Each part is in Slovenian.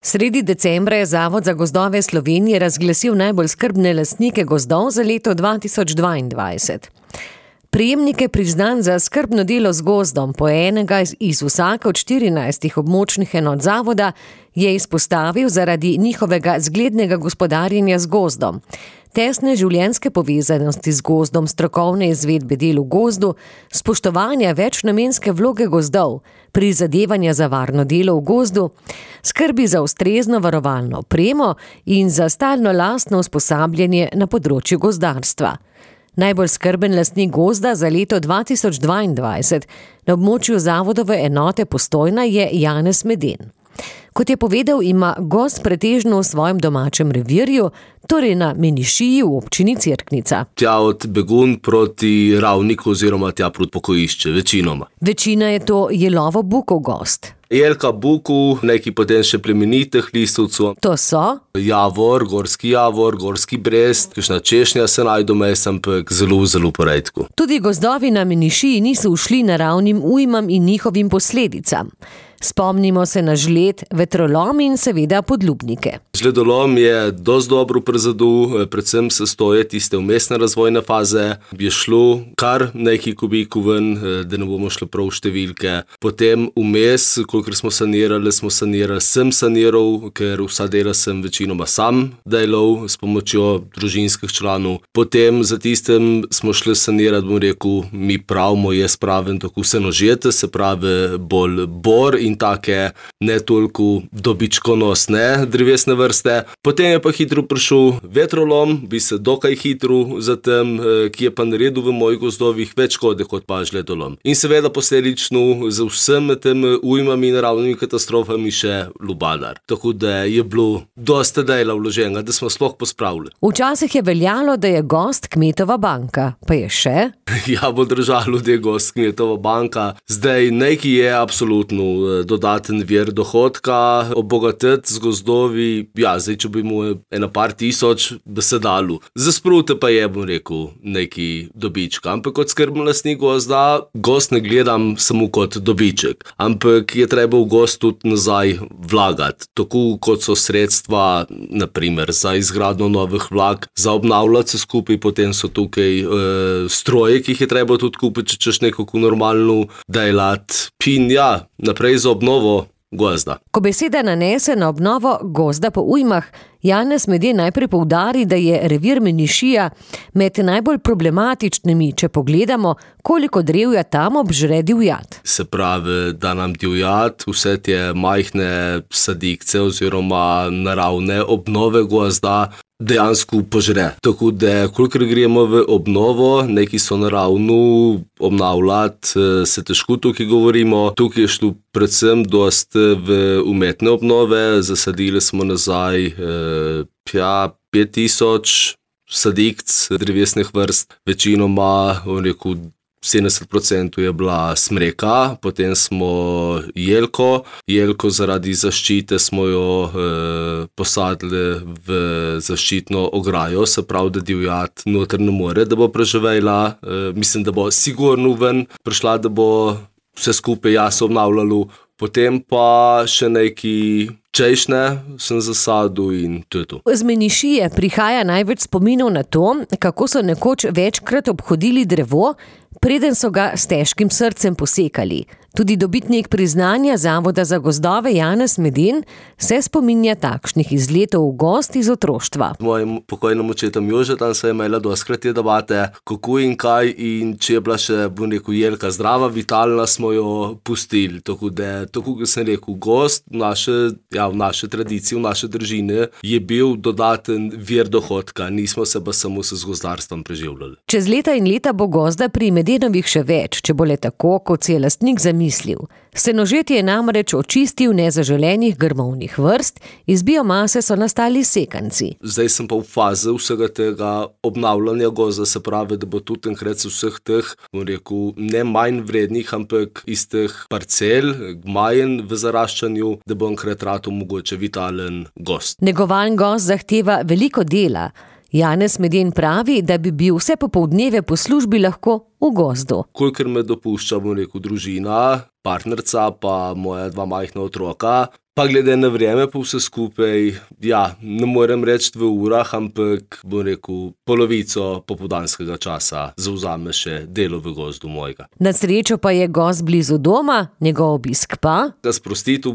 Sredi decembra je Zavod za gozdove Slovenije razglasil najbolj skrbne lastnike gozdov za leto 2022. Prejemnike priznanj za skrbno delo z gozdom po enega iz vsake od 14 območnih enot zavoda je izpostavil zaradi njihovega zglednega gospodarjenja z gozdom, tesne življenjske povezanosti z gozdom, strokovne izvedbe del v gozdu, spoštovanja večnamenske vloge gozdov, prizadevanja za varno delo v gozdu, skrbi za ustrezno varovalno opremo in za stalno lastno usposabljanje na področju gozdarstva. Najbolj skrben lastnik gozda za leto 2022 na območju zavodove enote Postojna je Janez Meden. Kot je povedal, ima gozd pretežno v svojem domačem revirju, torej na Menišiji v občini Cerknica. Tja od Begun proti Ravniku oziroma tja proti Pokojišče, večinoma. Večina je to jelovo bukov gozd. Jelka buku, neki potem še plemenitih listovcev. To so? Javor, gorski brest, kakšna češnja se najdu mes, ampak zelo poredko. Tudi gozdovi na Menišiji niso ušli naravnim ujmam in njihovim posledicam. Spomnimo se na žled, vetrolom in seveda podlubnike. Žledolom je dosti dobro prizadel, predvsem se stoje tiste vmesne razvojne faze. Je šlo kar nekaj kubikov ven, da ne bomo šli prav v številke. Potem vmes, kolikor smo sanirali, sem saniral, ker vsa dela sem večinoma sam delal s pomočjo družinskih članov. Potem za tistem smo šli sanirati, bom rekel, mi pravimo, je spraven tako vse nožete, se pravi bolj bor in take ne toliko dobičkonosne drevesne vrste. Potem je pa hitro prišel vetrolom, bi se dokaj hitro zatem, ki je pa naredil v mojih gozdovih več škode kot pa žledolom. In seveda posledično z vsemi temi ujmami in naravnimi katastrofami še lubadar. Tako da je bilo dosta dela vloženega, da smo sploh pospravili. Včasih je veljalo, da je gozd kmetova banka, pa je še? Ja, bo držalo, da je gozd kmetova banka. Zdaj nekaj je absolutno dodaten vir dohodka, obogatiti z gozdovi, ja, zdaj, če bi mu ena par tisoč, bi se dalo. Za sprute pa je, bom rekel, neki dobička. Ampak kot skrbni lastnik gozda, gozd ne gledam samo kot dobiček. Ampak je treba v gozd tudi nazaj vlagati. Tako kot so sredstva, naprimer, za izgradnjo novih vlak, za obnavljati se skupaj, potem so tukaj stroje, ki jih je treba tudi kupiti, če češ nekako normalno delati. In ja, naprej za obnovo gozda. Ko beseda nanese na obnovo gozda po ujmah, Janez Meden najprej poudari, da je revir Menišija med najbolj problematičnimi, če pogledamo, koliko drevja tam obžre divjad. Se pravi, da nam divjad vse te majhne sadikce oziroma naravne obnove gozda dejansko požre. Tako da, kolikor gremo v obnovo, neki so naravno obnavljati, se težko tukaj govorimo. Tukaj je šlo predvsem dosti v umetne obnove, zasadili smo nazaj 5000 sadikc drevesnih vrst, večinoma, rekel, 70% je bila smreka, potem smo jelko zaradi zaščite smo jo posadili v zaščitno ograjo, se pravi, da divjad noter ne more, da bo preživela, mislim, da bo sigurno ven prišla, da bo vse skupaj jaz obnavljalo. Potem pa še neki češnje sem zasadil in to je to. Z Menišije prihaja največ spominov na to, kako so nekoč večkrat obhodili drevo, preden so ga s težkim srcem posekali. Tudi dobitnik priznanja Zavoda za gozdove Janez Meden se spominja takšnih izletov v gozd iz otroštva. Z mojim pokojnim očetom Jožetom se je imela dostikrat te debate, kako in kaj, in če je bila še, bom rekel, jelka zdrava, vitalna, smo jo pustili. Tako da, tako kot sem rekel, gozd v naše tradicije, v naše družine je bil dodaten vir dohodka, nismo se pa samo z gozdarstvom preživljali. Čez leta in leta bo gozda pri Medenovih še več, če bo le tako, kot si je lastnik zamislil. Senožetje je namreč očistil nezaželenih grmovnih vrst, iz biomase so nastali sekanci. Zdaj sem pa v fazi vsega tega obnavljanja gozda, se pravi, da bo tudi enkrat vseh teh, bom rekel, ne manj vrednih, ampak iz teh parcel, gmajen v zaraščanju, da bo enkrat rato mogoče vitalen gozd. Negovan gozd zahteva veliko dela. Janez Meden pravi, da bi bil vse popoldneve po službi lahko v gozdu. Kolikor me dopušča, bom rekel, družina, partnerca pa moja 2 majhna otroka, Pa glede na vreme pa vse skupaj, ja, ne morem reči v urah, ampak bom rekel, polovico popoldanskega časa zavzame še delo v gozdu mojega. Na srečo pa je gozd blizu doma, njegov obisk pa? Ga sprostiti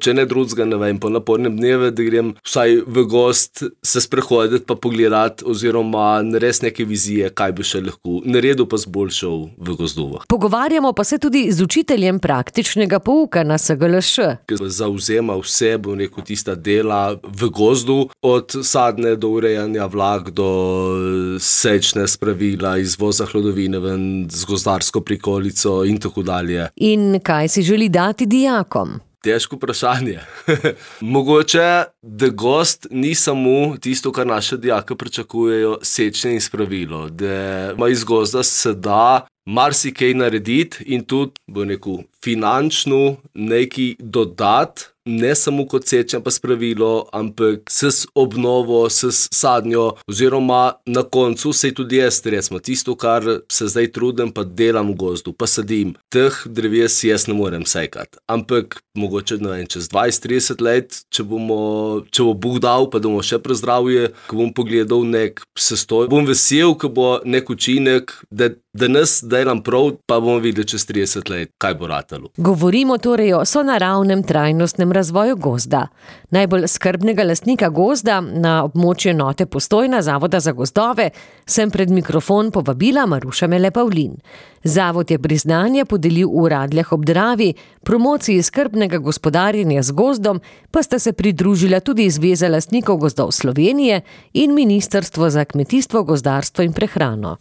če ne drugega, ne vem, po napornem dnevu, da grem vsaj v gozd se sprehoditi pa pogledati oziroma narediti neke vizije, kaj bi še lahko naredil pa zboljšal v gozdovah. Pogovarjamo pa se tudi z učiteljem praktičnega pouka na SGLŠ. Zavzema vse, bom rekel, tista dela v gozdu, od sadne do urejanja vlak, do sečne spravila, izvoza hlodovine ven z gozdarsko prikolico in tako dalje. In kaj si želi dati dijakom? Težko vprašanje. Mogoče, da gozd ni samo tisto, kar naše dijake pričakujejo, sečne in spravilo, da iz gozda se da marsikaj narediti in tudi, bom rekel, finančno nekaj dodati, ne samo kot sečnja pa spravilo, ampak s obnovo, s sadnjo, oziroma na koncu se tudi jaz, recimo, tisto, kar se zdaj trudim, pa delam v gozdu, pa sadim. Teh dreves jaz ne morem sekati. Ampak mogoče, ne vem, čez 20-30 let, če bo Bog dal, pa da bomo še prezdravje, ko bom pogledal nek sestoj, bom vesel, ko bo nek učinek, da danes delam prav, pa bomo videli čez 30 let, kaj bo ratalo. Govorimo torej o sonaravnem trajnostnem razvoju gozda. Najbolj skrbnega lastnika gozda na območju enote Postojna Zavoda za gozdove sem pred mikrofon povabila Maruša Mele Pavlin. Zavod je priznanje podelil v Radljah ob Dravi, promociji skrbnega gospodarjenja z gozdom pa sta se pridružila tudi Zveza lastnikov gozdov Slovenije in Ministrstvo za kmetijstvo, gozdarstvo in prehrano.